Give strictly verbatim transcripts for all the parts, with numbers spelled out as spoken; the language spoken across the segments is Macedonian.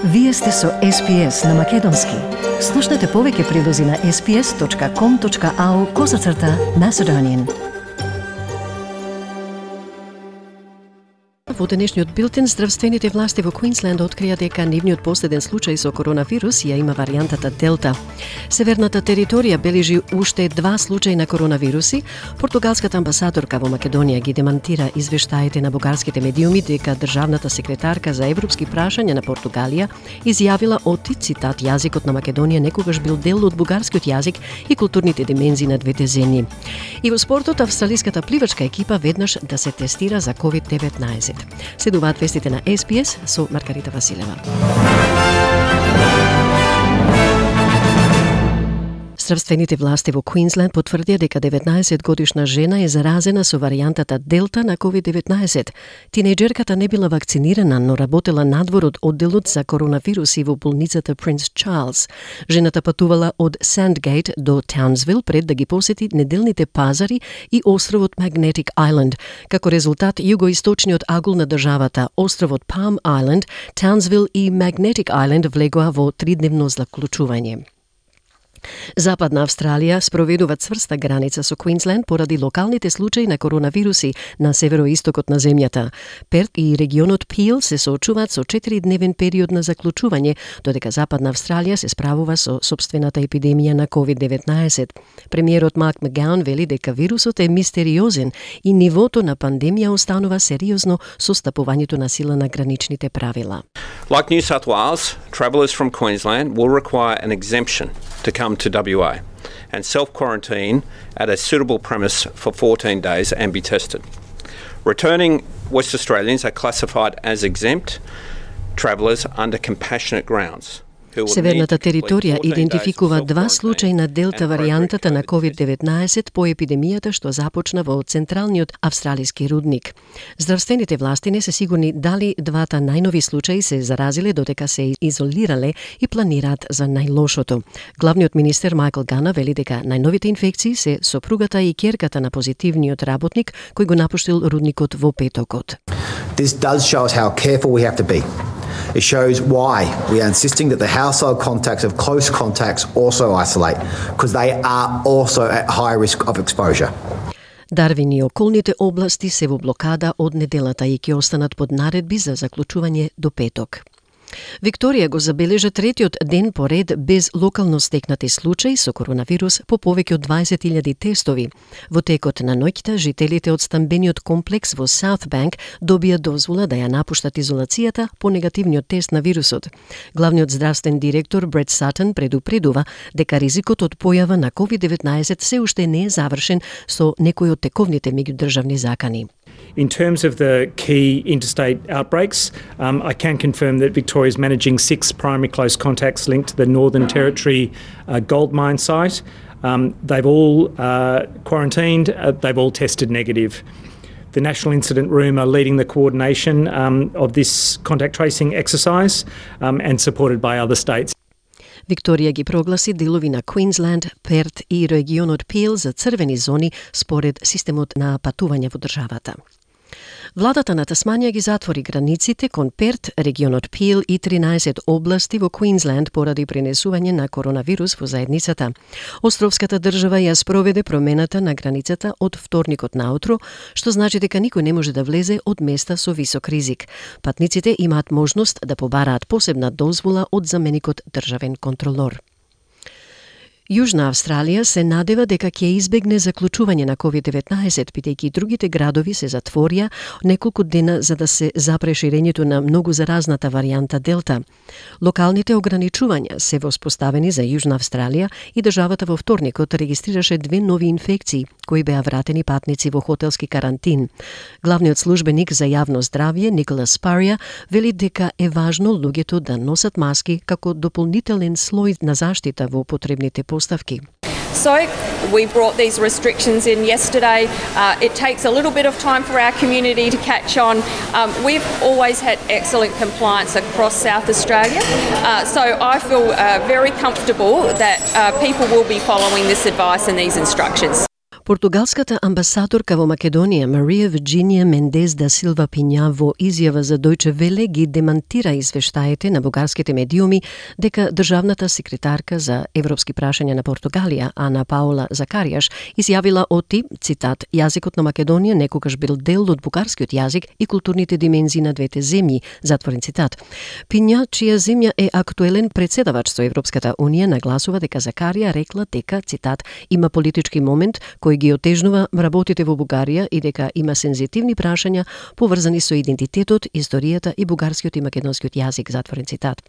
Вие сте со Ес Би Ес на Македонски. Слушнете повеќе прилози на ес би ес точка ком точка ау козацрта Macedonian. Во денешниот билтен, здравствените власти во Квинсленд открија дека нивниот последен случај со коронавирус ја има варијантата Делта. Северната територија бележи уште два случаи на коронавируси. Португалската амбасадорка во Македонија ги демантира извештаите на бугарските медиуми дека државната секретарка за европски прашања на Португалија изјавила оти, цитат, јазикот на Македонија некогаш бил дел од бугарскиот јазик и културните димензии на двете земји. И во спортот, австралиската пливачка екипа веднаш да се тестира за ковид деветнаесет. Следуваат вестите на Ес Би Ес со Маргарита Василева. Здравствените власти во Квинсленд потврдија дека деветнаесет годишна жена е заразена со варијантата Делта на ковид деветнаесет. Тинејџерката не била вакцинирана, но работела надвор од одделот за коронавируси во болницата Принц Чарлс. Жената патувала од Сандгейт до Таунсвил пред да ги посети неделните пазари и островот Magnetic Island. Како резултат, југоисточниот агул на државата, островот Palm Island, Таунсвил и Magnetic Island влегоа во тридневно заклучување. Западна Австралија спроведува цврста граница со Квинсленд поради локалните случаи на коронавируси на североистокот на земјата. Перт и регионот Пил се соочуваат со четиридневен период на заклучување, додека Западна Австралија се справува со собствената епидемија на ковид деветнаесет. Премиерот Марк Макгаун вели дека вирусот е мистериозен и нивото на пандемија останува сериозно со стапувањето на сила на граничните правила. Like New South Wales, travellers from Queensland will require an exemption to come to W A and self-quarantine at a suitable premise for fourteen days and be tested. Returning West Australians are classified as exempt travellers under compassionate grounds. Северната територија идентификува два случаи на Делта варијантата на ковид деветнаесет по епидемијата што започна во централниот австралиски рудник. Здравствените власти не се сигурни дали двата најнови случаи се заразиле додека се изолирале и планираат за најлошото. Главниот министер Майкл Гана вели дека најновите инфекции се сопругата и ќерката на позитивниот работник кој го напуштил рудникот во петокот. This does show us how careful we have to be. It shows why we are insisting that the household contacts of close contacts also isolate, because they are also at high risk of exposure. Дарвин и околните области се во блокада од неделата и ќе останат под наредби за заклучување до петок. Викторија го забележа третиот ден поред без локално стекнати случаи со коронавирус по повеќе од дваесет илјади тестови. Во текот на ноќта, жителите од стамбениот комплекс во Саутбанк добија дозвола да ја напуштат изолацијата по негативниот тест на вирусот. Главниот здравствен директор Брет Сатон предупредува дека ризикот од појава на ковид деветнаесет се уште не е завршен со некои од тековните меѓудржавни закани. In terms of the key interstate outbreaks, um, I can confirm that Victoria is managing six primary close contacts linked to the Northern Territory uh, gold mine site. Um, they've all uh, quarantined, uh, they've all tested negative. The National Incident Room are leading the coordination um, of this contact tracing exercise um, and supported by other states. Викторија ги прогласи делови на Квинсленд, Перт и регионот Пил за црвени зони според системот на патување во државата. Владата на Тасманија ги затвори границите кон Перт, регионот Пил и тринаесет области во Квинсленд поради пренесување на коронавирус во заедницата. Островската држава ја спроведе промената на границата од вторникот наутро, што значи дека никој не може да влезе од места со висок ризик. Патниците имаат можност да побараат посебна дозвола од заменикот државен контролор. Јужна Австралија се надева дека ќе избегне заклучување на ковид деветнаесет, бидејќи другите градови се затворија неколку дена за да се запре ширењето на многу заразната варијанта Делта. Локалните ограничувања се воспоставени за Јужна Австралија и државата во вторникот регистрираше две нови инфекции, кои беа вратени патници во хотелски карантин. Главниот службеник за јавно здравје Николас Спарија вели дека е важно луѓето да носат маски како дополнителен слој на заштита во потребните поставки. So we brought these restrictions in yesterday. Uh, it takes a little bit of time for our community to catch on. Um, we've always had excellent compliance across South Australia. Uh, so I feel uh, very comfortable that uh, people will be following this advice and these instructions. Португалската амбасадорка во Македонија Марија Вирџинија Мендес да Силва Пиња во изјава за Дојче Веле ги демантира извештаите на бугарските медиуми дека државната секретарка за европски прашања на Португалија Ана Паула Закаријаш изјавила оти, цитат, јазикот на Македонија некогаш бил дел од бугарскиот јазик и културните димензии на двете земји, затворен цитат. Пиња, чија земја е актуелен председавач со Европската унија, нагласува дека Закарија рекла дека, цитат, има политички момент кој ги отежнува работите во Бугарија и дека има сензитивни прашања поврзани со идентитетот, историјата и бугарскиот и македонскиот јазик, затворен цитат.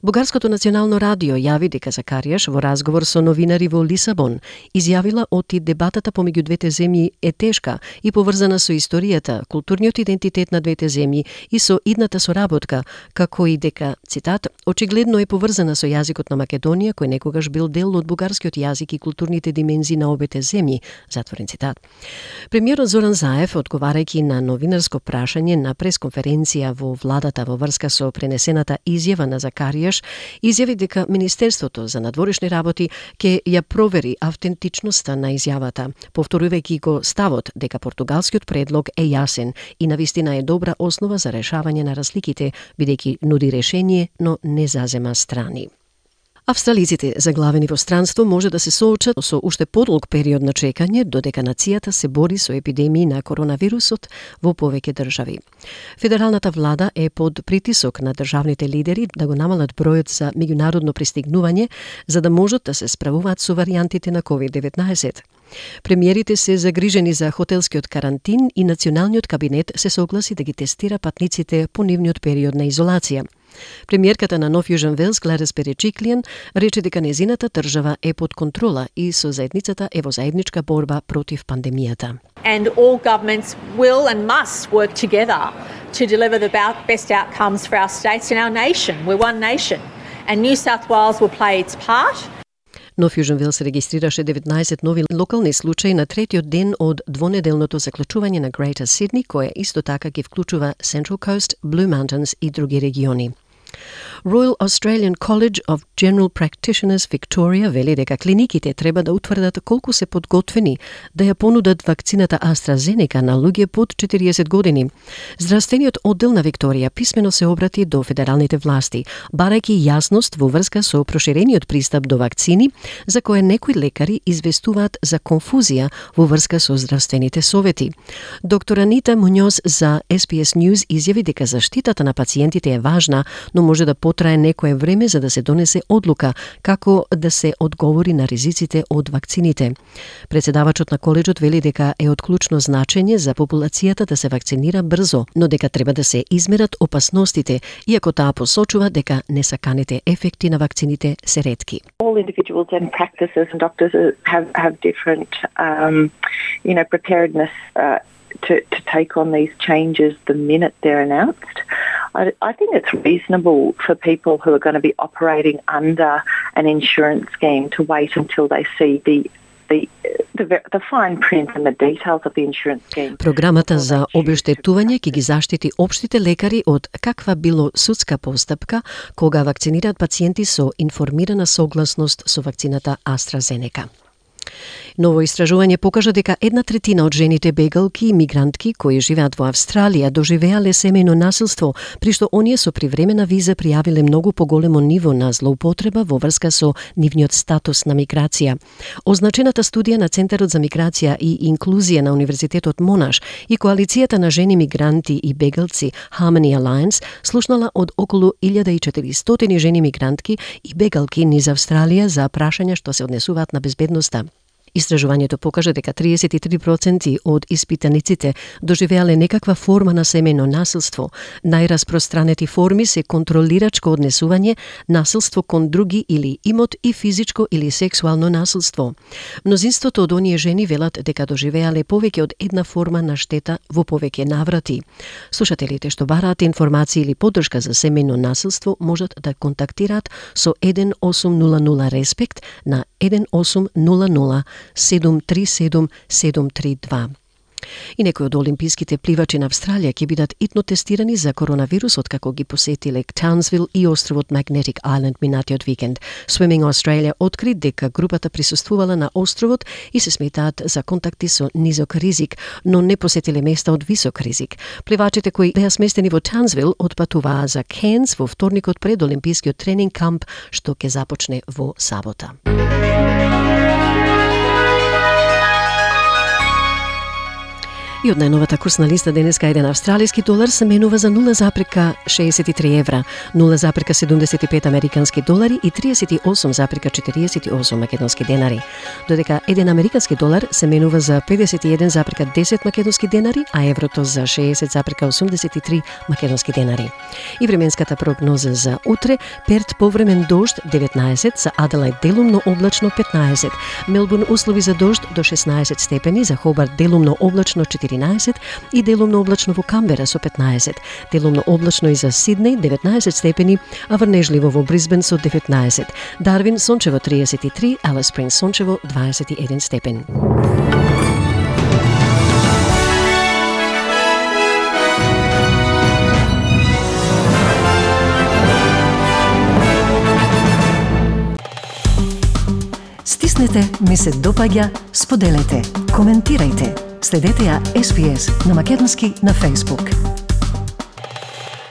Бугарското национално радио јави дека Закаријаш во разговор со новинари во Лисабон изјавила оти дебатата помеѓу двете земји е тешка и поврзана со историјата, културниот идентитет на двете земји и со идната соработка, како и дека, цитат, очигледно е поврзана со јазикот на Македонија кој некогаш бил дел од бугарскиот јазик и културните димензии на обете земји, затворен цитат. Премиерот Зоран Заев, одговарајќи на новинарско прашање на пресконференција во владата во врска со пренесената изјава на Закаријаш, изјави дека Министерството за надворешни работи ќе ја провери автентичноста на изјавата, повторувајќи го ставот дека португалскиот предлог е јасен и навистина е добра основа за решавање на разликите, бидејќи нуди решение, но не зазема страни. Австралиците заглавени во странство може да се соочат со уште подолг период на чекање додека нацијата се бори со епидемии на коронавирусот во повеќе држави. Федералната влада е под притисок на државните лидери да го намалат бројот за меѓународно пристигнување за да можат да се справуваат со варијантите на ковид деветнаесет. Премиерите се загрижени за хотелскиот карантин и националниот кабинет се согласи да ги тестира патниците по нивниот период на изолација. Премиерката на Нов Јужен Велс Гледис Береджиклијан рече дека незината држава е под контрола и со заедницата е во заедничка борба против пандемијата. And all governments will and must work together to deliver the best outcomes for our states and our nation. We're one nation. And New South Wales will play its part. Нов Јужен Велс регистрираше деветнаесет нови локални случаи на третиот ден од двонеделното заклучување на Greater Sydney, која исто така ги вклучува Central Coast, Blue Mountains и други региони. Royal Australian College of General Practitioners Victoria вели дека клиниките треба да утврдат колку се подготвени да ја понудат вакцината AstraZeneca на луѓе под четириесет години. Здравствениот оддел на Викторија писмено се обрати до федералните власти, барајќи јасност во врска со проширениот пристап до вакцини, за која некои лекари известуваат за конфузија во врска со здравствените совети. Доктор Анита Муњоз за Ес Би Ес News изјави дека заштитата на пациентите е важна, но може да потрае некое време за да се донесе одлука како да се одговори на ризиците од вакцините. Председавачот на коледжот вели дека е од клучно значење за популацијата да се вакцинира брзо, но дека треба да се измерат опасностите, иако таа посочува дека несаканите ефекти на вакцините се ретки. All individuals and practices and doctors have have different um, you know preparedness uh, to to take on these changes the minute they're announced. I, I think it's reasonable for people who are going to be operating under an insurance scheme to wait until they see the the the, the fine print and the details of the insurance scheme. Програмата за обештетување ќе ги заштити општите лекари од каква било судска постапка кога вакцинираат пациенти со информирана согласност со вакцината AstraZeneca. Ново истражување покажа дека една третина од жените бегалки и мигрантки кои живеат во Австралија доживеале семејно насилство, при што оние со привремена виза пријавиле многу поголемо ниво на злоупотреба во врска со нивниот статус на миграција. Означената студија на Центарот за миграција и инклузија на Универзитетот Монаш и Коалицијата на жени мигранти и бегалци Harmony Alliance слушнала од околу илјада и четиристотини жени мигрантки и бегалки низ Австралија за прашања што се однесуваат на безбедноста. Истражувањето покажа дека триесет и три проценти од испитаниците доживеале некаква форма на семејно насилство. Најраспространети форми се контролирачко однесување, насилство кон други или имот и физичко или сексуално насилство. Мнозинството од оние жени велат дека доживеале повеќе од една форма на штета во повеќе наврати. Слушателите што бараат информации или поддршка за семејно насилство можат да контактираат со еден осум нула нула Респект на еден осум нула нула седум три седум седум три два. И некои од олимписките пливачи на Австралија ќе бидат итно тестирани за коронавирус откако ги посети Лек Таунсвил и островот Magnetic Island минатиот викенд. Swimming Australia откри дека групата присуствувала на островот и се сметаат за контакти со низок ризик, но не посетиле места од висок ризик. Пливачите кои беа сместени во Таунсвил отпатуваа за Cairns во вторникот пред олимпискиот тренинг камп што ќе започне во сабота. И од најновата курсна листа денеска еден австралиски долар се менува за нула запрека шеесет и три евра, нула запрека седумдесет и пет американски долари и триесет и осум запрека четириесет и осум македонски денари. Додека еден американски долар се менува за педесет и еден запрека десет македонски денари, а еврото за шеесет запрека осумдесет и три македонски денари. И временската прогноза за утре: Перт повремен дожд деветнаесет, за Аделаид делумно облачно петнаесет, Мелбурн услови за дожд до шеснаесет степени, за Хобарт делумно облачно четиринаесет и делумно облачно во Камбера со петнаесет, делумно облачно и за Сиднеј деветнаесет степени, а врнежливо во Брисбен со деветнаесет, Дарвин сончево триесет и три, Алис Спрингс сончево дваесет и еден степен. Стиснете, ми се допаѓа, споделете, коментирајте. Следете ја Ес Би Ес на македонски на Facebook.